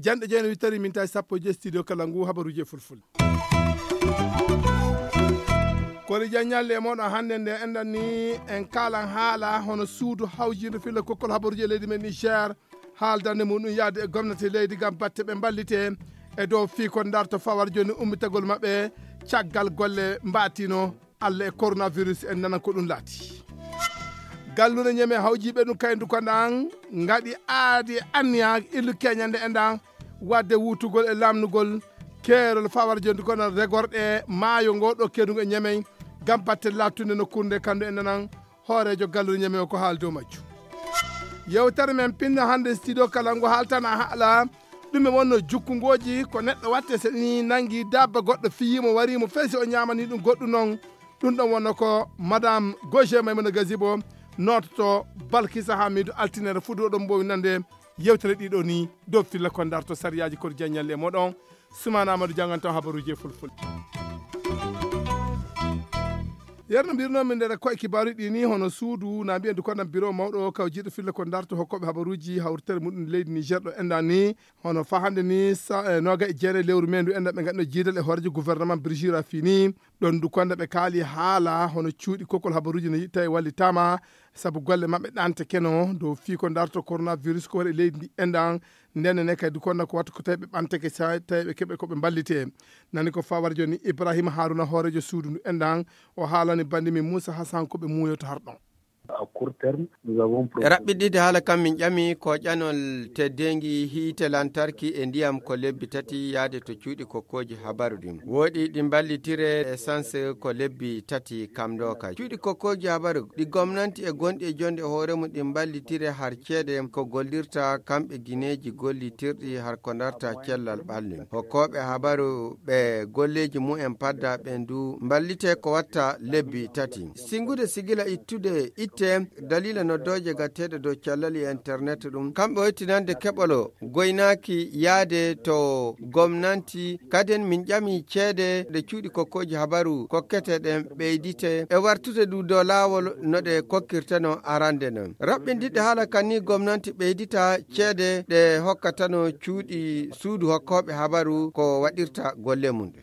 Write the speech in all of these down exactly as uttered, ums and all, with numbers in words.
Janɗe jeenayi wittari min tawi sappo e joyi studio kala ngu habaruji e fulfulde. Kori jan ñalle e moɗon hannde nde enɗan ni en kaalan haala hono suudu hawjiindo filla kokkol habaruji e leydi men Niger, haaldande mum ɗum yaade e gomnati leydi ngam batte ɓe mballite e dow fii ko darto fawar jooni ummitagol maɓɓe caggal golle mbatino. Allah e coronavirus en nanan ko ɗum laati. Galluure ñeme hawjiiɓe ɗum kaydu ko ndan ngaɗi aadi anniya illu keñande e ndan wadde wutugol e lamnugol keerol fawar jooni ko nan regorɗe maayo ngo ɗo kedugo e ñemey ngam batte lattunde nokkunde kandu e nanan hooreejo galluure ñeme o ko haali dow majju. Yewtere men pinno hannde studio kala ngo haaltana haala ɗum e wonno jukkungooji ko neɗɗo watte so ni nangi dabba goɗɗo fiyimo warimo fesi o ñamani ɗum goɗɗum noon. Ɗum ɗon wonno ko madame Gauger Maimouna Gazibo noototo Balkisa Hamidou altinere fuɗɗo ɗon mbowi nande yewtere ɗiɗo ni dow filla ko darto sariyaaji koto jaññalle e moɗon. Sumana Amadou jannganto habaruji e fulfulde. Yerno mbirno min nder koye kibaruji ɗi ni hono suudu na mbiyen du kono biro mawɗo kaw jiiɗo filla ko darto hokkoɓe habaruji hawritere muɗum leydi Niger ɗo enɗan ni hono fa hannde ni sa- eh, noga e jeere lewru men ndu enɗan ɓe ganduɗo jiidal e hoorejo gouvernement Brigitte Rafini. Ɗon du konda ɓe kaali haala hono cuuɗi kokkol habaruji no yiɗta e wallitama sabu golle maɓɓe ɗante keno dow fii ko darto coronavirus ko waɗi leydi ndi enɗan. Ndenne ne kadi du konda ko wattu ko tawi ɓe ɓantake sa tawi ɓe keɓe ko ɓe mballite. Nani ko fawar joni Ibrahima Haruna hoorejo suudu ndu enɗan o haalani bandi min Moussa Hassan ko ɓe muuyoto har ɗon. E raɓɓiɗɗiɗde haala kam min ƴami ko ƴanol teddeengi hiite lantarki e ndiyam ko lebbi tati yaade to cuuɗi kokkooji habaru ɗin. Wooɗi ɗi mballitire essence ko lebbi tati kam ɗo ka cuuɗi kokkooji habaru ɗi gomnanti e gonɗi e jonde hoore mum ɗi mballitire har ceede ko gollirta kamɓe gineeji gollitirɗi har ko darta cellal ɓalli. Hokkooɓe habaru ɓe golleeji mumen padda ɓen du mballite ko watta lebbi tati. Singude sigila ittude itte daliila noddooje gatteeɗe dow cellal e internet ɗum kamɓe hoytinande keɓolo goynaaki yaade to gomnanti. Kaden min ƴami ceede ɗe cuuɗi kokkooji habaru kokkete ɗen ɓeydite e wartude du dow laawol no ɗe kokkirteno arande non. Raɓɓindiɗɗe haala kan ni gomnanti ɓeydita ceede ɗe hokkatano cuuɗi suudu hokkooɓe habaru ko waɗirta golle mum ɗe.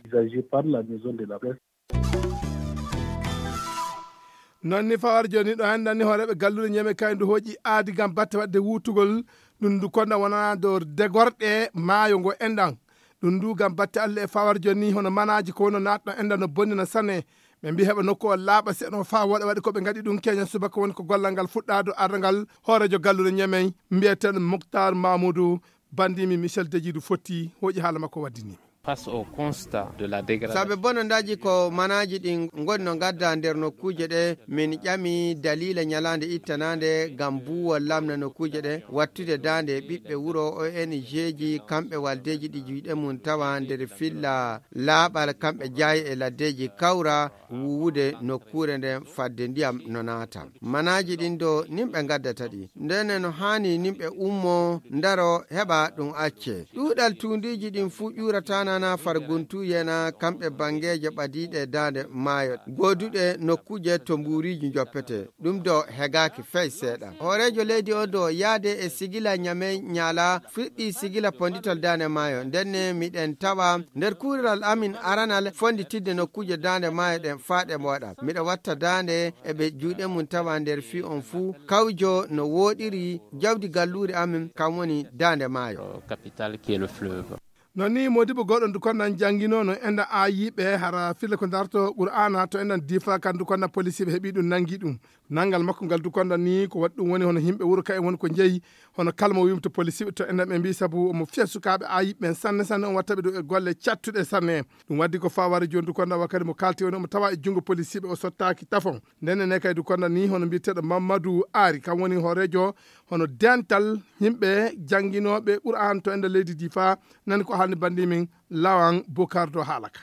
Non ni fawar joni ɗo enɗan ni hooreɓe galluɗe ñeme kaydu hooƴi aadi gam batte wadde wutugol ɗum ndu konda wonana dow degorɗe maayo ngo enɗan. Ɗum ndu gam batte Allah e fawar joni hono manaji ko wono natɗo enɗan no bonnina sane. Ɓe mbi heɓa nokku o laaɓa seɗo fa woɗa waɗi ko ɓe gaɗi ɗum keña subaka woni ko gollal ngal fuɗɗa dow ardangal hoorejo galluɗe ñemey mbiyeteɗo Moktar Mamoudou. Bandimi Michel Dejidu fotti hooƴi haala makko waddinimi. Face au constat de la dégradation. Sabe bonondaaji ko manaaji ɗin ngoni no ngadda nder nokkuuje ɗe min ƴami daliila ñalaande ittanaande ngam buuwol lamna nokkuuje ɗe wattude daande ɓiɓɓe wuro O N G ji kamɓe waldeeji ɗi juuɗe mum tawa nder filla laaɓal kamɓe jaayi e laddeeji kawra wuwude nokkuure nden fadde ndiyam no naata. Manaaji ɗin do nimɓe ngaddata ɗi ndene no haani nimɓe ummo ndaro heɓa ɗum acce. Ɗuuɗal tuundiiji ɗin fuu ƴuurataa na far guntuuye na kamɓe banngeeje ɓadiiɗe daande maayo gooduɗe nokkuuje to mbuuriiji njoppete. Ɗum do hegaaki fey seeɗa. Hooreejo leydi on do yaade e sigila ñame ñaala fiɗɗi sigila ponditol daande maayo ndenne miɗen tawa nder kuural amin aranal fonditidde nokkuuje daande maayo ɗen faa ɗe moɗa. Miɗo watta daande e ɓe juuɗe mum tawa nder fii on fuu kawjo no wooɗiri jawdi galluuri amin kam woni daande maayo. Capital qui est le fleuve. Non ni modibo goɗɗo ndu konnan janginono enɗan a yiɓe hara fille ko darto qur'ana to enɗan difa kan ndu konnan policiɓe heɓi ɗum nangi ɗum. Nangal makko ngal du konnan ni ko waɗi ɗum woni hono yimɓe wuro ka en woni ko jeyi hono kalmo wimto policiɓe to enɗan ɓe mbi sabu omo fiya sukaaɓe a yiɓe ɓen sanne sanne on wattaɓe ɗo e golle cattuɗe sanne. Ɗum waddi ko faware joni du konnan wakkati mo kalti woni omo tawa e jungo policiɓe o sottaki tafon. Ndenne ne kay du konnan ni hono mbiyeteɗo Mamadou Ari kam woni hoorejo hono dental yimɓe jannginooɓe Qur'an to ender leydi Difa. Nani ko haalni banndi min Lawan Bukar dow haala ka.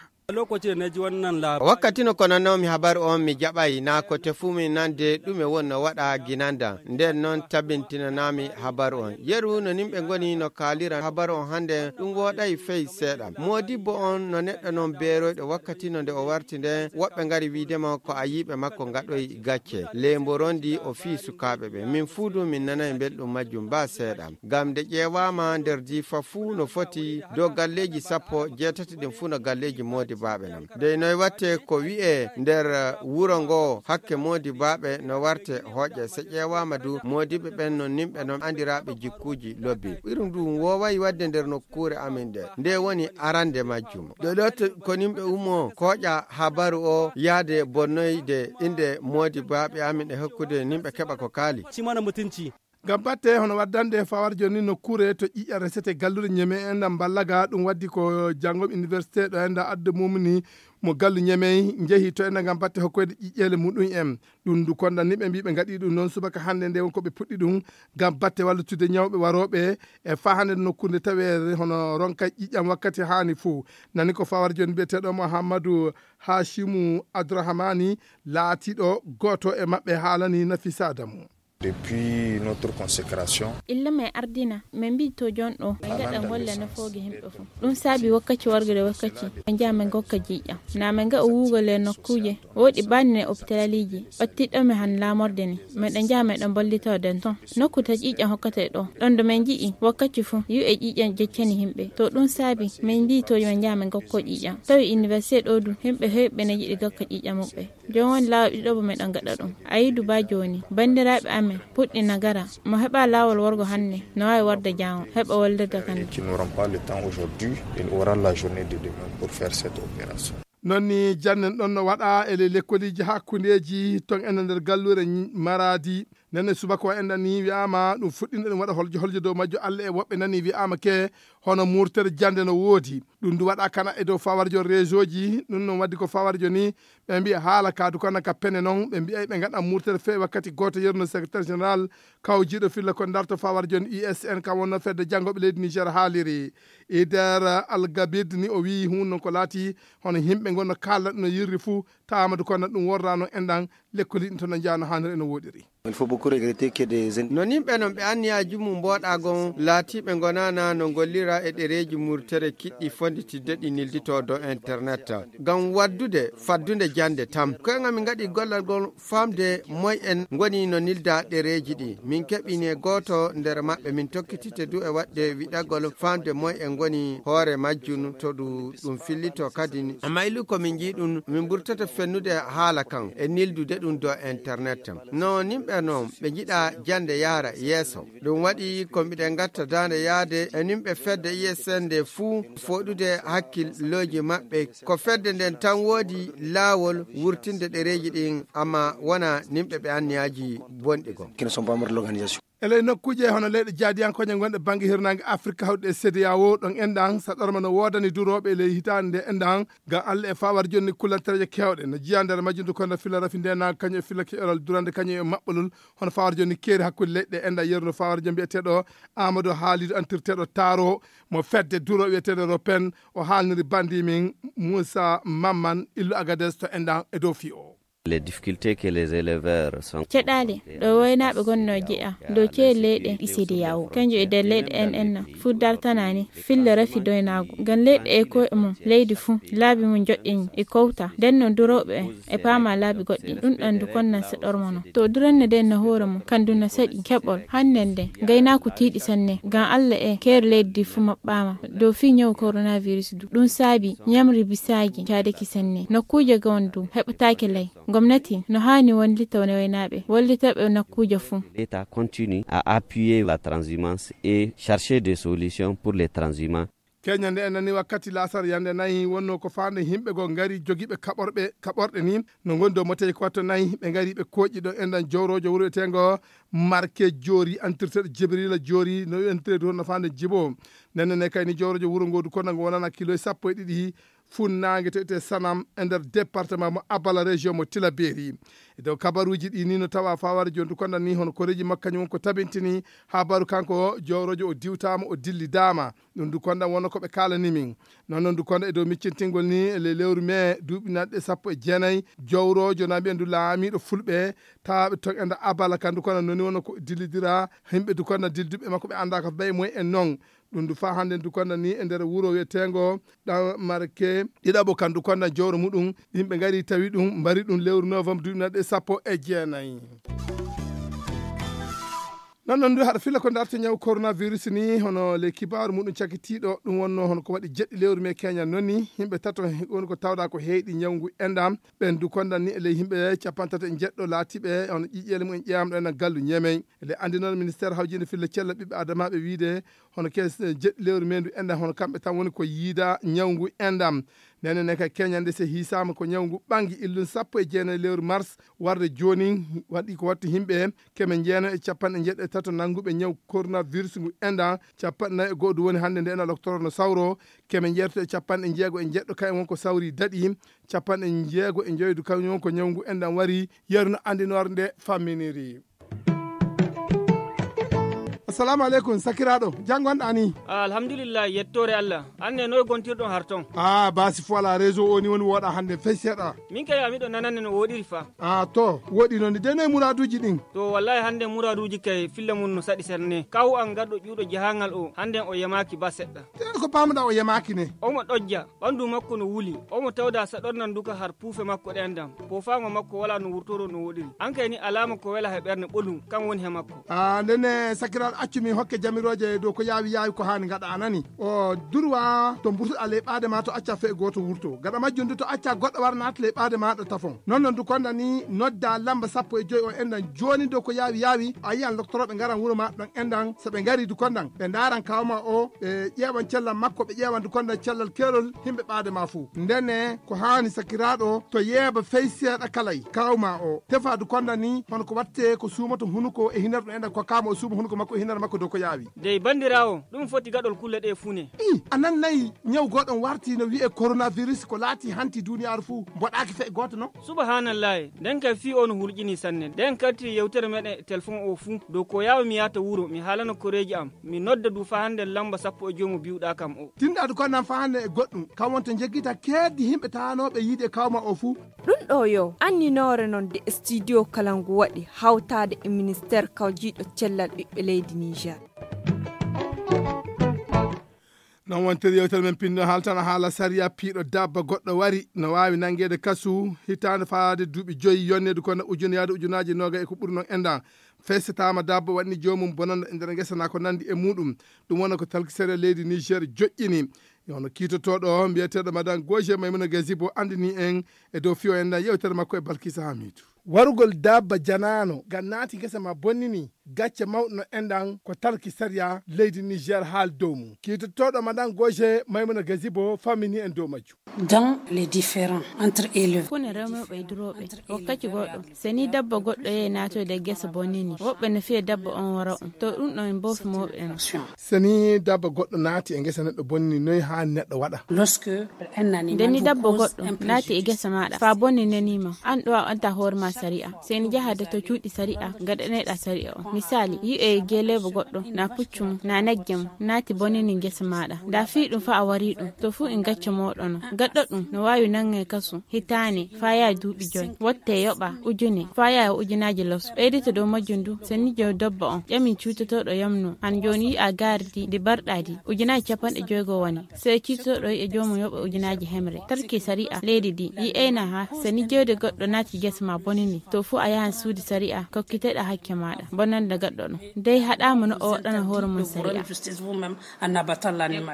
Wakkati no konanoomi habaru on, mi jaɓay naa ko tefumi nande ɗume woni no waɗa ginandam. Nden non tabintinanaami habaru on. Yeru no nimɓe ngoni no kaalira habaru on hande, ɗum wooɗay fey seeɗa. Moodibbo on no neɗɗo non beeroyɗo. Wakkati no nde o warti nden, woɓɓe ngari wiide mo ko ayiiɓe makko ngaɗoy gacce. Ley mborondi o fii sukaaɓe ɓe. Min fuu du min nanay belɗum majjum baa seeɗa. Ngam nde ƴeewaama nder Diifa fuu no foti dow galleeji sappo jeetati ɗin fuu no galleeji moodibaaɓe non. Dey noy watte ko wi'ee nder wuro ngo hakke moodibaaɓe no warte hooƴe. Se ƴeewaama du moodiɓɓe ɓen non nimɓe non andiraaɓe jikkuuji lobbi. Irum du wooway wadde nder nokkuure amin nde. Nde woni arande majjum. Ɗo ɗo to-, ko nimɓe ummoo kooƴa habaru o yaade bonnoyde innde moodibaaɓe amin e hokkude nimɓe keɓa ko kaali. Ci mana mutunci. Ngam batte hono waddande fawar joni nokkuure to ƴiƴa resete galluure ñeme en ɗam ballaga ɗum waddi ko janngom université ɗo en da adda mumni mo gallu ñemey njehi to en ngam batte hokkoyde ƴiƴƴeele muɗum en. Ɗum ndu konda ni ɓe mbi ɓe ngaɗi ɗum noon subaka hannde nde won ko ɓe puɗɗi ɗum ngam batte wallutude ñawɓe warooɓe e faa hannde nokkuure taweere hono ronka ƴiƴam wakkati haani fof. Nani ko fawar joni mbiyeteeɗo Mouhamadou Hachimu Abdourahmani laatiiɗo gooto e maɓɓe haalani Nafisa Adamu. Depuis notre consécration. Illa men ardina, men mbii to jooni ɗo, men ngaɗa golle nafooge yimɓe fof. Ɗum saabi wakkaci wargude wakkaci, men njaha men ngokka ƴiiƴam. Na men ngaɗa wuugol e nokkuuje, woodi baɗɗine opitaliiji, ɓattiɗo men han laamorde ni. Meɗen njaha meɗen mballitoo den ton. Nokku taƴi ƴiiƴam hokkata e ɗo. Ɗon ɗo men nji'i wakkaci fof, yu e ƴiiƴam jeccani yimɓe. To ɗum saabi, men mbii to men njaha men ngokkoo ƴiiƴam. Tawi université ɗo du, yimɓe heewɓe ne yiɗi gokka ƴiiƴam muɓɓe. Jooni woni laawol ɗiɗo mo meɗen gaɗa ɗum. A yidu ba jooni, banndiraaɓe amen puɗɗi nagara. Mo heɓa laawol worgo hannde, no waawi warde jaango, heɓa wallirde kadi. Qui n'auront pas le temps aujourd'hui, il aura la journée de demain pour faire cette opération. Noon ni jannen ɗon no waɗa e ley lekkoliiji hakkundeeji ton enen nder galluure Maradi. Nenne subaka o enɗan ni wi'aama ɗum fuɗɗino ɗum waɗa holjo holjo dow majjo Allah e woɓɓe nani wi'aama ke hono murtere jannde no woodi. Ɗum ndu waɗa kana e dow fawarjo réseau ji, ɗum noon waddi ko fawarjo ni, ɓe mbiya haala ka du kana ka pene noon, ɓe mbiya ɓe ngaɗa murtere feewi wakkati gooto yerno secrétaire général kawjiiɗo filla ko darto fawarjo ni U S N ka wonno fedde janngoɓe leydi Niger haaliri. Ider Al Gabid ni o wiyi hun noon ko laati hono yimɓe ngon no kaalda ɗum no yirri fuu, taama du kono ɗum worrano enɗan lekkoli ɗin to no njaano haaniri e no woɗiri. Il faut beaucoup regretter que des in- No nimɓe non ɓe anniyaaji mum mboɗaagon laatiiɓe ngonana no ngollira e ɗereeji murtere kiɗɗi fonditidde ɗi nildito dow internet. Ngam waddude faddunde jannde tam. Koye ngam min ngaɗi gollal ngol faamde moy en ngoni no nilda ɗereeji ɗi. Min keɓini e gooto nder maɓɓe min tokkitite du e waɗde wiɗagol faamde moy en ngoni hoore majjum to ɗu-, ɗum fillito kadi. Amma illu ko min njii ɗum, min mburtata fennude haala kan e nildude ɗum dow internet. No nimɓe noon ɓe njiɗa jannde yaara yeeso. Ɗum waɗi ko mbiɗen ngatta daande yaade e nimɓe fedde U S N nde fuu foɗude hakkillooji maɓɓe. Ko fedde nden tan woodi laawol wurtinde ɗereeji ɗin, amma wona nimɓe ɓe anniyaaji bonɗi goo. Qui ne sont pas membres de l'organisation. E ley nokkuuje hono leyɗe jaadiyankooje gonɗe bannge hirnaange Afirka hawɗe e C D A O ɗon enɗan saɗorma no woodani durooɓe e ley hitaande nde enɗan ngam Allah e faawar jonni kullantereeje keewɗe no jiya nder majjum du kono filla rafi ndenaago kañum e filla keƴoral durande kañum e maɓɓolol hono faawar jonni keeri hakkunde leyɗe enɗan yeru no faawar jom mbiyeteeɗo Amadou Haalidou antirteeɗo Taaro mo fedde duro wiyeteeɗo Ropen o haalniri bandi min Moussa Mamman illu Agades to enɗan e dow fii o. Les difficultés que les éleveurs sont. Caɗaale ɗo waynaaɓe gonnoo jeya dow ceeɗu leyɗe ɗi C D A O kanjum e nder leyɗe en en fuu dartanaani filla rafi doynaago ngam leyɗe e koye mum leydi fuu laabi mum joɗɗini e kowta nden noon durooɓe en e paama laabi goɗɗi ɗum ɗon du konnan saɗorma noon to duranne nden no hoore mum kandu no saɗi keɓol hannden nden ngaynaaku tiiɗi sanne ngam Allah e keere leydi ndi fuu maɓɓaama dow fii ñawu coronavirus du ɗum saabi ñamri bisaaji caadaki sanne nokkuuje gawon du heɓataake lay. Gomnati no haani wallita waynaaɓe, wallita ɓe nokkuuje fuu. L'État continue à appuyer la transhumance et chercher des solutions pour les transhumants. Keñande en nani wakkati laasar yande nayi wonno ko faande yimɓe go ngari jogiiɓe kaɓorɓe kaɓorɗe ni no ngoni dow moteeji ko watto nayi ɓe ngari ɓe kooƴi ɗo enɗan jowrojo wuro eteengo Marke Joori antirteeɗo Jibrila Joori no entire dow no faande jibo nenne ne kayni jowrojo wuro ngodu kono ngo wonana kilo sappo e ɗiɗi funnaange to ete Sanam e nder département mo Abala région mo Tilaberi. E dow kabaruuji ɗi ni no tawa faware jondu konda ni hono koreeji makko kañum won ko tabintini habaru kanko jowrojo o diwtaama o dillidaama. Ɗum du konda wonno ko ɓe kaalani min. Noon noon du konda e dow miccintingol ni e ley lewru mee duuɓi naɗɗe sappo e jeenayi jowrojo na mbiyen du laamiiɗo fulɓe tawaaɓe toon enda abala kan du konda noni wonno ko dillidira himɓe du konda dilduɓe makko ɓe annda ko bay moy en noon. Ɗum du faa hannde du konda ni e nder wuro wiyeteengo ɗan marke ɗiɗaɓo kan du konda jowro muɗum yimɓe ngari tawi ɗum mbari ɗum lewru novembre duuɓi naɗɗe sappo e jeenayi. Noon noon du haɗa filla ko darta ñaw coronavirus ni hono ley kibaaru muɗum cakitiiɗo ɗum wonno hono ko waɗi jeɗɗi lewru mee keñan noon ni yimɓe tato woni ko tawda ko heyɗi ñaw ngu endam. Ɓen du kondan ni e ley yimɓe capantato e jeɗɗo laatiɓe hono ƴiƴeele mumen ƴeewamɗo ena gallu ñemey. Ele anndinoon ministère hawjinde filla cella ɓiɓɓe adamaaɓe wiide hono kes jeɗɗi lewru mendu endam hono kamɓe tan woni ko yiida ñaw ngu endam. Nene ne ka keñande se hiisaama ko ñaw ngu ɓangi illun sappo e jeenayi lewru mars warde jooni waɗi ko wattu yimɓe keme njeeno e capanɗe njeɗɗo e tato nannguɓe ñaw coronavirus ngu endan capanɗe nayi e go'o du woni hannde nde ena loktoro no sawro keme njeetato e capanɗe njeego e njeɗɗo kañum won ko sawri daɗi capanɗe njeego e njoydu kañum won ko ñaw ngu endan wari yeru no anndinoor nde famminiri. Assalamu aleykum sakiraaɗo, janngo an ɗani? Ah, alhamdulillah, yettoore Allah. An ne noy gontirɗon har ton? Ah, basi fo ala réseau o ni woni wooɗa hannde fey seeɗa. Min kay a miɗo nanande no wooɗiri fa. Ah, to wooɗi noon de noy muraaduuji ɗin? To wallahi hannde muraaduuji kay filla mum no saɗi serne. Kaw an gaɗɗo ƴuuɗo jahangal o hannde o yamaaki ba seɗɗa. Te ko paamuɗa o yamaaki ne? Omo ɗojja, ɓanndu makko no wuli, omo tawda saɗornan duka har puufe makko ɗen dam. Poofaango makko walaa no wurtoro no woɗiri. An kay ni alaama ko wela he ɓernde ɓolum, kan woni he makko. Ah, ndenne sakiraaɗo accu mi hokke jamirooje dow ko yaawi yaawi ko haani ngaɗa a nani. O durwa to mburtuɗa ley ɓaade ma to acca fee gooto wurto. Gaɗa majjum du to acca goɗɗo wara naata ley ɓaade maaɗa tafon. Noon noon du konda ni nodda lamba sappo e joy o endan jooni dow ko yaawi yaawi a yiyan loktorooɓe ngaran wuro ma ɗon endan so ɓe ngari du kondan ɓe ndaaran kawma o ɓe ƴeewan cellal makko ɓe ƴeewan du kondan cellal keerol himɓe ɓaade ma fuu. Ndene ko haani sakiraaɗo to yeeba fey seeɗa kalay kawma o tefa du kondan ni hono ko watte ko suumoto hunuko e hinar ɗum endan ko kama o suuma hunuko makko e hinar makko dow ko yaawi. Dey banndiraawo, ɗum foti gaɗol kulle ɗe fuu ne. I a nan nayi ñaw goɗon warti no wi'e coronavirus ko laati hanti duniyaaru fuu mboɗaaki fe gooto non. Subahanallahi, nden kay fii o no hulƴini sanne. Nden kartiri yewtere meɗen e telefon o fuu dow ko yaawa mi yaata wuro mi haalana koreeji am mi nodda du faa hannde lamba sappo e joy mo biwɗaa kam o. Tinɗaadu ko nan faa hannde e goɗɗum kam wonto njeggita keeddi himɓe taanooɓe yiide e kawma o fuu. Ɗum ɗo yo anninoore noon de studio kala ngu waɗi hawtaade e ministeer kawjiiɗo cellal ɓiɓɓe leydi Niger. Noon wontere yewtere men pinno haaltana haala sariya piiɗo dabba goɗɗo wari no waawi nanngeede kasu hitaande faade duuɓi joyi yonneede kono ujune yaade ujunaaji nooga e ko ɓuri noon endan fessetaama dabba waɗni joomum bonanda e nder ngesa naa ko nanndi e muuɗum. Ɗum wona ko talki sariya leydi Niger joƴƴini. Hono kiitotooɗo mbiyeteeɗo madan goje maymuna gazibo anndini en e dow fiyo endan yewtere makko e balkisa hamiidu. Warugol dabba janaano ngam naati ngesa ma bonnini gacce mawɗo no enɗan ko talki sariya leydi Niger haal dow mum. Kiitotooɗo madan goje maymuna gazibo fammini en dow majjum. Dans les différends entre éleveurs. Kune rewmoɓe e durooɓe wakkati goɗɗo, so ni dabba goɗɗo yehi naatoyde e gesa bonnini woɓɓe no fiya dabba on wara on to ɗum ɗon en boofi mawɓe en. So ni dabba goɗɗo naati e ngesa neɗɗo bonni noy haani neɗɗo waɗa? Lorsque nde ni dabba goɗɗo naati e gesa maɗa fa bonni nenima an ɗo a anta hoore ma sari'a. Seni jahade to cuuɗi sari'a gaɗaneɗa sari'a o misali yi'e geelebo goɗɗo na puccum na nagge mum naati bonnini gesa maɗa nda fi ɗum fa a wari ɗum to fu en gacco moɗono gaɗɗo ɗum no wawi nange kasu hitaane fa yaha duuɓi joy wotte yoɓa ujune fa yaha ujunaji los ɓeydita dow majjum du seni jow dobba on ƴami cuutotoɗo yamno han joni yi'a gardi ndi barɗadi ujunaji capanɗe joygo woni sey cuutotoɗo yi'a jomum yoɓa ujunaji hemre tarki sari'a leydi ndi yi'eyna ha seni jewde goɗɗo naati gesa ma bonini to fu a yahan suudu sari'a kokkiteɗa hakke maɗa bonande gaɗɗo ɗum dey haɗama no o waɗana hoore mum sari'a.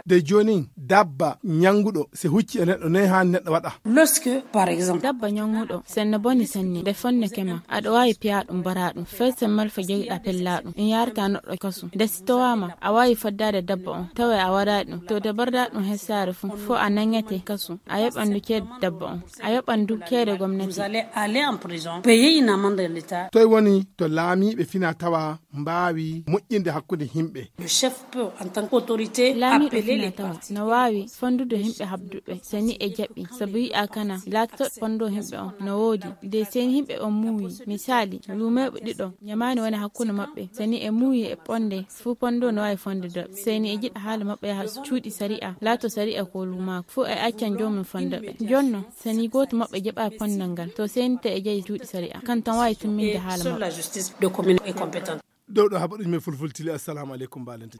Nde jonin dabba ñannguɗo si hucci e neɗɗo noy haani neɗɗo waɗa? Lorsque par exemple dabba ñannguɗo senno boni senne nde fonneke ma aɗa waawi piya ɗum mbara ɗum fay sen malfa jogiɗa pella ɗum ɗum yarata neɗɗo kasu nde si towama a waawi faddaade dabba on tawa a waɗaali ɗum to de barda ɗum he saare fuu fof a nangete kasu a yoɓan du ceede dabba on a yoɓan du ceede gomnati. Toy woni to laamiiɓe fina tawa mbaawi moƴƴinde hakkunde yimɓe. Laamiiɗo fina tawa no waawi fonndude yimɓe haɓduɓe so ni e jaɓi sabu yi'a kana laatotooɗo fonndo yimɓe on no woodi de seni yimɓe on muuyi misaali luumeeɓe ɗiɗo ñamaani woni hakkunde maɓɓe so ni e muuyi e ponde fuu ponndo no waawi fonde doɓe seni e jiɗa haala maɓɓe yaha cuuɗi sari'a laato sari'a ko luumaako fuu e accan joomum fondoɓe jonno seni gooto maɓɓe jaɓa ponnal ngal to seni te e jayi cuuɗi sari'a kan tan waawi timminde haala maɓɓe. Dow ɗo haɓa ɗum e fulfultili assalamu aleykum mbalente.